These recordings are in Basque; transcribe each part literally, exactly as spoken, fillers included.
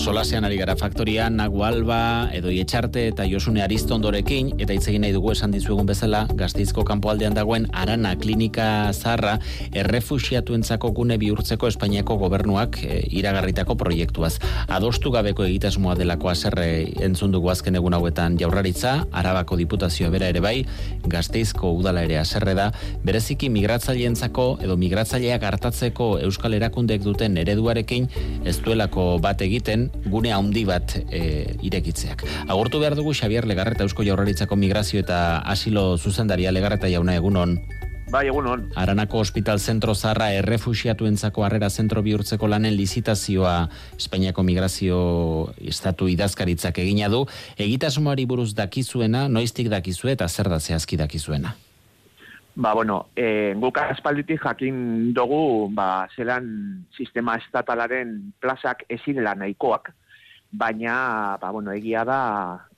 Solasean ari gara faktoria, Nagu Alba, edo Etxarte eta Josune Aristondorekin, eta hitz egin nahi dugu esan dizuegun bezala, Gasteizko kanpoaldean dagoen Arana klinika zaharra errefuxiatuentzako gune bihurtzeko Espainiako gobernuak e, iragarritako proiektuaz. Adostu gabeko egitasmoa delako haserre entzun dugu azken egun hauetan Jaurlaritza, Arabako Diputazioa bera ere bai, Gasteizko udala ere haserre da, bereziki migratzaileentzako edo migratzaileak hartatzeko euskal erakundeek duten ereduarekin ez duelako bat egiten gune handi bat e, irekitzeak. Agurtu behar dugu Xabier Legarreta Eusko Jaurlaritzako migrazio eta asilo zuzendaria. Legarreta jauna, egunon. Bai, egunon. Aranako Hospital Zentro Zaharra errefuxiatuentzako harrera zentro bihurtzeko lanen lizitazioa Espainiako migrazio estatu idazkaritzak egina du. Egitasmoari buruz dakizuena, noiztik dakizue eta zer da zehazki dakizuena? Ba, bueno, e, guk aspalditik jakin dugu, ba, zelan sistema estatalaren plazak ezirela nahikoak, baina, ba, bueno, egia da,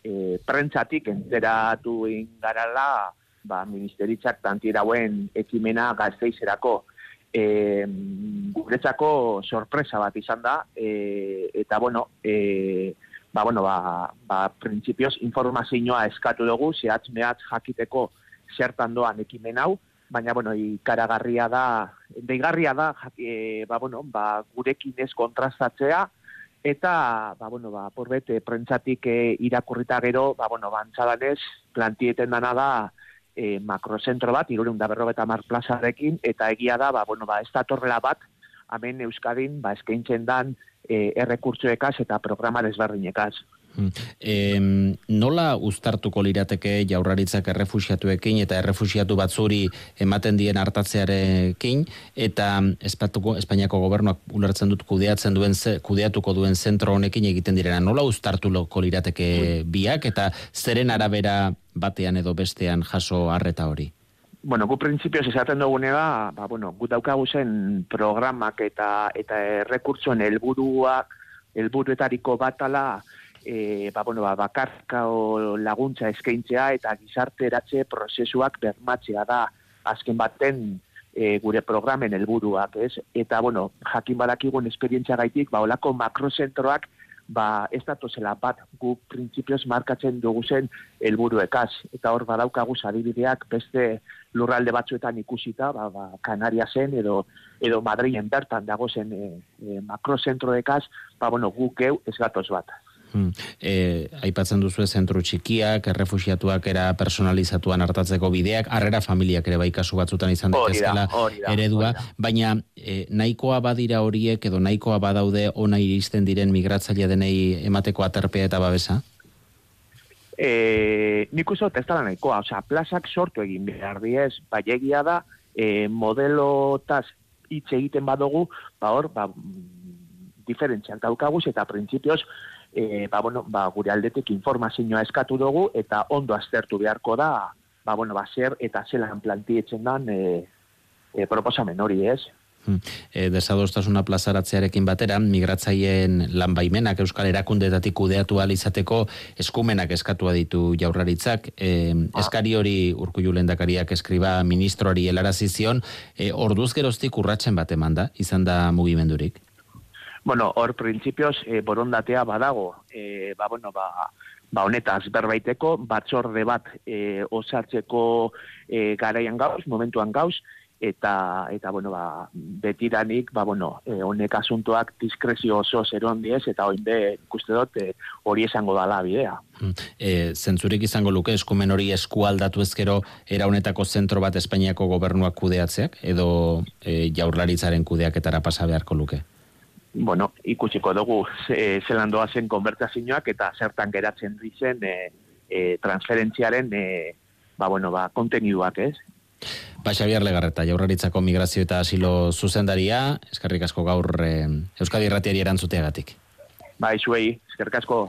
e, prentzatik enteratu ingarala, ba, ministeritzak tantirauen ekimena Gasteizerako. E, guretzako sorpresa bat izan da, e, eta, bueno, e, ba, bueno, ba, ba, printzipioz informazioa eskatu dugu, zehatz mehatz jakiteko zertan doan ekimen hau, baina, bueno, ikaragarria da, deigarria da, e, ba, bueno, ba, gurekin ez kontrastatzea, eta, ba, bueno, ba, porbete, prentzatik e, irakurrita gero, ba, bueno, bantzadanez, plantieten dana da, e, makrozentro bat, hirurehun eta berrogeita hamar plazarekin, eta egia da, ba, bueno, ba, ez datorrela bat, hemen Euskadin, ba, eskaintzen dan, e, errekurtsoekaz eta programa desberdinekaz. E, nola uztartuko lirateke Jaurlaritzak errefuxiatuekin eta errefuxiatu batzuri ematen dien hartatzearekin eta espatuko, Espainiako gobernuak ulertzen dut kudeatzen duen kudeatuko duen zentro honekin egiten direna, nola uztartuko lirateke biak eta zeren arabera batean edo bestean jaso arreta hori? Bueno, gu printzipioz esaten dugunea, ba, bueno, gu daukagu zen programak eta eta errekurtsoen helburuak helburuetariko batala E, ba, bueno, ba, bakarka laguntza eskaintzea eta gizarteratze prozesuak bermatzea da azken baten e, gure programen helburuak, ez? Eta, bueno, jakin badakigun esperientzia gaitik, ba, olako makrozentroak, ba, ez datozela bat gu printzipioz markatzen dugu zen helburuekaz. Eta hor badaukagu adibideak beste lurralde batzuetan ikusita, ba, ba, Kanariasen edo edo Madrilen bertan dago zen e, e, makrozentroekaz, ba, bueno, guk geu ez gatoz bat. Hmm. E, aipatzen duzu zentro txikiak, errefuxiatuak era personalizatuan hartatzeko bideak, harrera familiak ere bai kasu batzutan izan daitezkela eredua, baina e, nahikoa badira horiek edo nahikoa badaude ona iristen diren migratzaile denei emateko aterpea eta babesa? E, nik uste ez da nahikoa, osea, plazak sortu egin behar diez, bai egia da, e, modelotaz hitz egiten badugu, ba hor, ba, diferentziak daukaguz eta printzipioz, E, ba, bueno, ba, gure aldetik informazioa eskatu dugu eta ondo aztertu beharko da, ba, bueno, ba, zer eta zelan plantietzen dan e, e, proposamen hori, ez? E, desadostasuna plazaratzearekin batera, migratzaileen lan baimenak Euskal Erakundeetatik kudeatu ahal izateko eskumenak eskatua ditu Jaurlaritzak. E, ah. Eskari hori Urkullu lehendakariak eskriba ministroari helarazi zion, e, orduz geroztik urratzen bat eman da, izan da mugimendurik? Bueno, hor printzipioz e, borondatea badago, e, ba, bueno, ba, ba honetaz berbaiteko, batzorde bat e, osatzeko e, garaian gauz, momentuan gauz, eta, eta bueno, ba, betiranik, ba, bueno, e, honek asuntoak diskrezio oso zeron diez, eta oinde ikuste dut e, hori esango dala bidea. E, zentzurik izango luke eskumen hori eskualdatu ezkero era honetako zentro bat Espainiako gobernuak kudeatzeak, edo e, Jaurlaritzaren kudeaketara pasa beharko luke? Bueno, ikusiko dugu e, zelan doazen konbertazioak eta zertan geratzen dizen e, e, transferentziaren e, ba, bueno, ba, konteniduak, ez? Ba, Xabier Legarreta, Jaurlaritzako migrazio eta asilo zuzendaria, eskerrik asko gaur e, Euskadi Irratiari erantzuteagatik. Ba, izuei, eskerrik asko.